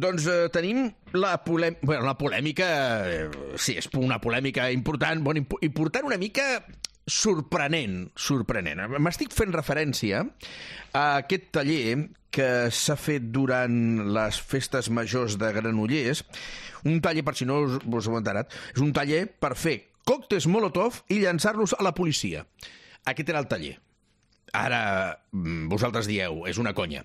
Doncs tenim la polèmica, sí, és una polèmica important, important una mica sorprenent. M'estic fent referència a aquest taller que s'ha fet durant les festes majors de Granollers, un taller, per si no us ho heu enterat, és un taller per fer còctels Molotov i llançar-los a la policia. Aquest era el taller. Ara vosaltres dieu, és una conya.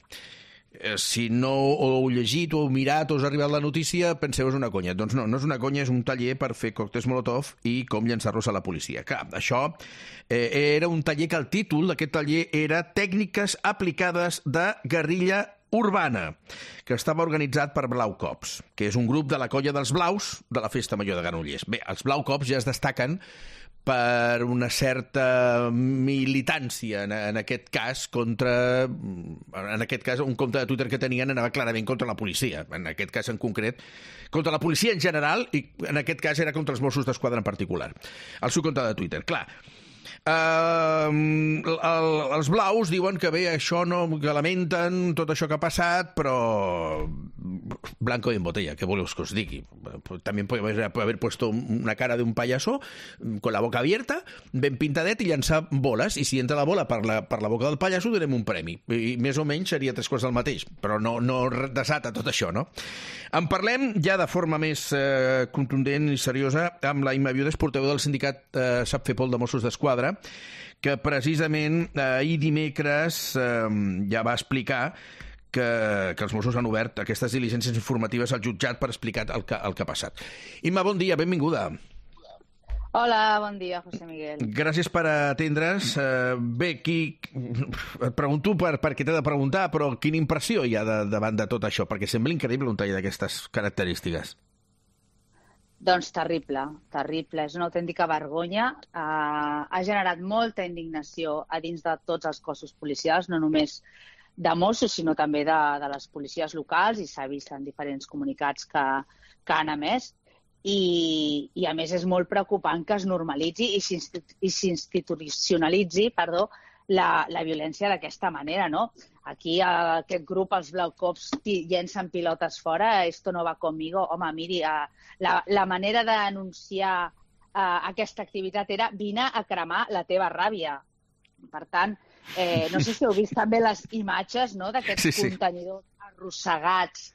Si no ho heu llegit o heu mirat o us ha arribat la notícia, penseu és una conya. Doncs no és una conya, és un taller per fer còctels Molotov i com llançar-los a la policia. Clar, això era un taller que el títol d'aquest taller era Tècniques aplicades de guerrilla urbana, que estava organitzat per Blau Cops, que és un grup de la colla dels Blaus de la Festa Major de Granollers. Bé, els Blau Cops ja es destaquen per una certa militància, en aquest cas, un compte de Twitter que tenien anava clarament contra la policia, en aquest cas en concret, contra la policia en general, i en aquest cas era contra els Mossos d'Esquadra en particular. El seu compte de Twitter, clar. Els blaus diuen que bé, això no, que lamenten tot això que ha passat, però blanco y en botella, què voleu que us digui? També podria haver puesto una cara d'un payaso con la boca abierta, ben pintadet, i llançar boles, i si entra la bola per la boca del payaso donem un premi, i més o menys seria 3 quarts del mateix, però no desata tot això, no? En parlem ja de forma més contundent i seriosa amb la Imma Viudes, portaveu del sindicat Sap Fer Pol de Mossos d'Esquadra, que precisament ahir dimecres ja va explicar que els Mossos han obert aquestes diligències informatives al jutjat per explicar el que ha passat. Imma, bon dia, benvinguda. Hola, bon dia, José Miguel. Gràcies per atendre's. Bé, et pregunto per què t'he de preguntar, però quina impressió hi ha davant de tot això? Perquè sembla increïble un taller d'aquestes característiques. Doncs terrible. És una autèntica vergonya. Ha generat molta indignació a dins de tots els cossos policials, no només de Mossos, sinó també de les policies locals, i s'ha vist en diferents comunicats que han emès. I a més és molt preocupant que es normalitzi i s'institucionalitzi la violència d'aquesta manera, no? Aquí aquest grup, els Blau Cops, llencen pilotes fora, esto no va conmigo. Home, miri, la manera d'anunciar aquesta activitat era vine a cremar la teva ràbia. Per tant, no sé si heu vist també les imatges d'aquests contenidors arrossegats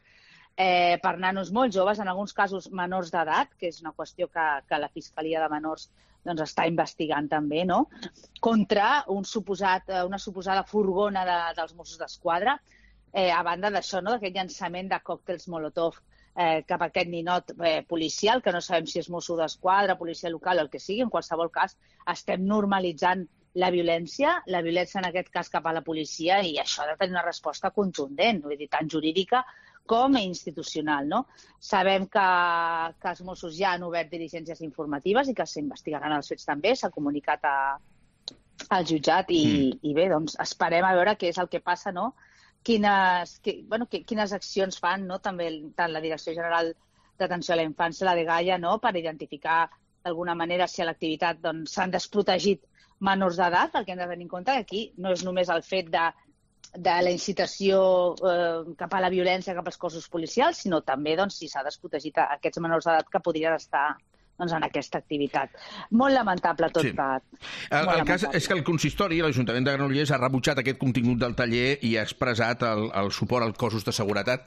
per nanos molt joves, en alguns casos menors d'edat, que és una qüestió que la Fiscalia de Menors està investigant també, no? Contra una suposada furgona dels Mossos d'Esquadra, a banda d'això, d'aquest llançament de còctels Molotov cap a aquest ninot policial, que no sabem si és Mosso d'Esquadra, policia local o el que sigui. En qualsevol cas, estem normalitzant la violència en aquest cas cap a la policia, i això ha de tenir una resposta contundent, vull dir, tant jurídica com institucional, no? Sabem que els Mossos ja han obert diligències informatives i que s'investigaran els fets també, s'ha comunicat al jutjat i bé, doncs esperem a veure què és el que passa, no? Quines accions fan, no? També tant la Direcció General d'Atenció a la Infància, la Dgaia, no? Per identificar d'alguna manera si a l'activitat s'han desprotegit menors d'edat, perquè hem de tenir en compte que aquí no és només el fet de la incitació cap a la violència cap als cossos policials, sinó també si s'ha desprotegit aquests menors d'edat que podrien estar en aquesta activitat. Molt lamentable tot plegat. El cas és que el consistori, l'Ajuntament de Granollers, ha rebutjat aquest contingut del taller i ha expressat el suport als cossos de seguretat.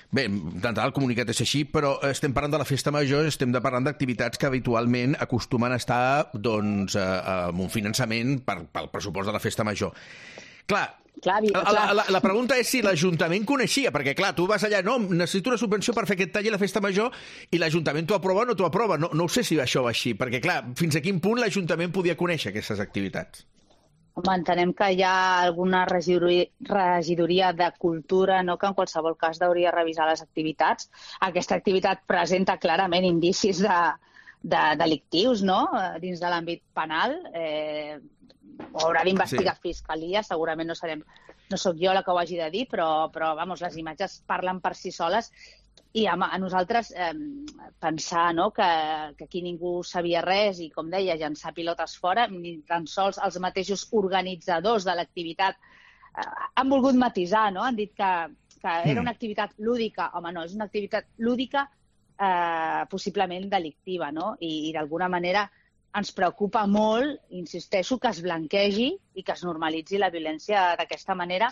Bé, d'entrada el comunicat és així, però estem parlant de la festa major, estem parlant d'activitats que habitualment acostumen a estar amb un finançament pel pressupost de la festa major. Clar, la pregunta és si l'Ajuntament coneixia, perquè clar, tu vas allà, no, necessito una subvenció per fer aquest taller a la festa major, i l'Ajuntament t'ho aprova o no t'ho aprova. No ho sé si això va així, perquè clar, fins a quin punt l'Ajuntament podia conèixer aquestes activitats? Home, entenem que hi ha alguna regidoria de cultura, no, que en qualsevol cas hauria de revisar les activitats. Aquesta activitat presenta clarament indicis delictius, no?, dins de l'àmbit penal. Ho haurà d'investigar Fiscalia, segurament no sóc jo la que ho hagi de dir, però les imatges parlen per si soles. I a nosaltres pensar que aquí ningú sabia res i, com deia, llançar pilotes fora, ni tan sols els mateixos organitzadors de l'activitat han volgut matisar, no? Han dit que que era una activitat lúdica. Home, no, és una activitat lúdica possiblement delictiva, no? I d'alguna manera ens preocupa molt, insisteixo, que es blanquegi i que es normalitzi la violència d'aquesta manera,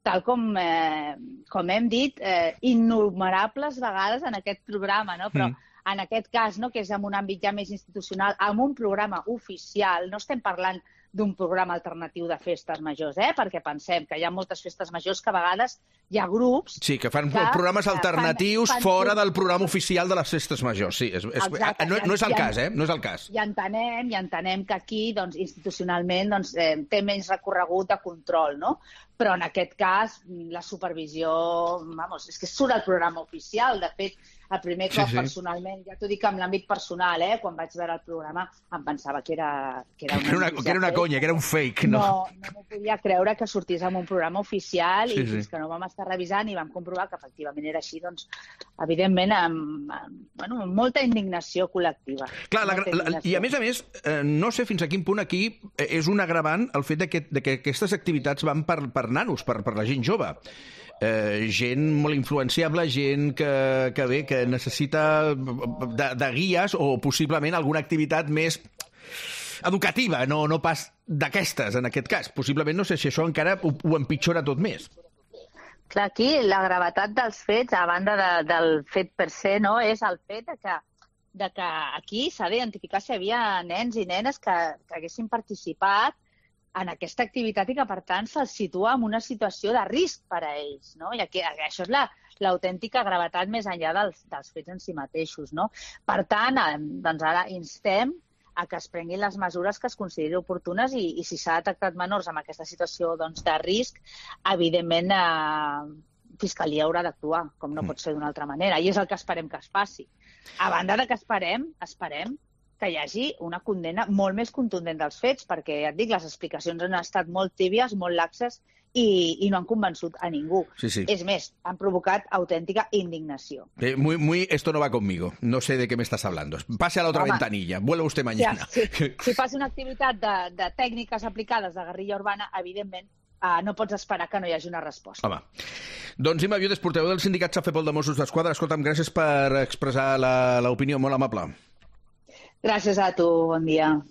tal com hem dit innumerables vegades en aquest programa, no? Però en aquest cas, no, que és en un àmbit ja més institucional, amb un programa oficial, no estem parlant d'un programa alternatiu de festes majors, perquè pensem que hi ha moltes festes majors que a vegades hi ha grups... Sí, que fan programes alternatius fora del programa oficial de les festes majors, sí. No és el cas, no és el cas. I entenem que aquí, doncs, institucionalment, doncs, té menys recorregut de control, no? Però en aquest cas, la supervisió... Vamos, és que surt el programa oficial. De fet, el primer cop, personalment, ja t'ho dic en l'àmbit personal, quan vaig veure el programa, em pensava que era una conya, que era un fake, no? No m'ho podia creure que sortís en un programa oficial i fins que no vam estar revisant i vam comprovar que efectivament era així, doncs, evidentment, amb molta indignació col·lectiva. Clar, i a més, no sé fins a quin punt aquí és un agravant el fet que aquestes activitats van per nanos, per la gent jove. Gent molt influenciable, gent que necessita de guies o possiblement alguna activitat més educativa, no pas d'aquestes, en aquest cas. Possiblement, no sé si això encara ho empitjora tot més. Clar, aquí la gravetat dels fets, a banda del fet per se, no, és el fet de que aquí s'ha d'identificar si hi havia nens i nenes que haguessin participat en aquesta activitat i que, per tant, se'ls situa en una situació de risc per a ells, no? I això és l'autèntica gravetat més enllà dels fets en si mateixos, no? Per tant, doncs ara instem a que es prenguin les mesures que es considerin oportunes i si s'ha detectat menors en aquesta situació de risc, evidentment, Fiscalia haurà d'actuar, com no pot ser d'una altra manera, i és el que esperem que es faci. A banda de que esperem que hi hagi una condemna molt més contundent dels fets, perquè, ja et dic, les explicacions han estat molt tíbies, molt laxes i no han convençut a ningú. Sí. És més, han provocat autèntica indignació. Esto no va conmigo. No sé de qué me estás hablando. Pase a la otra ventanilla. Vuelva usted mañana. Si fas una activitat de tècniques aplicades de guerrilla urbana, evidentment, no pots esperar que no hi hagi una resposta. Home. Doncs Imma Viudes, portaveu del sindicat Safepol de Mossos d'Esquadra. Escolta'm, gràcies per expressar l'opinió, molt amable. Gràcies a tu, bon dia.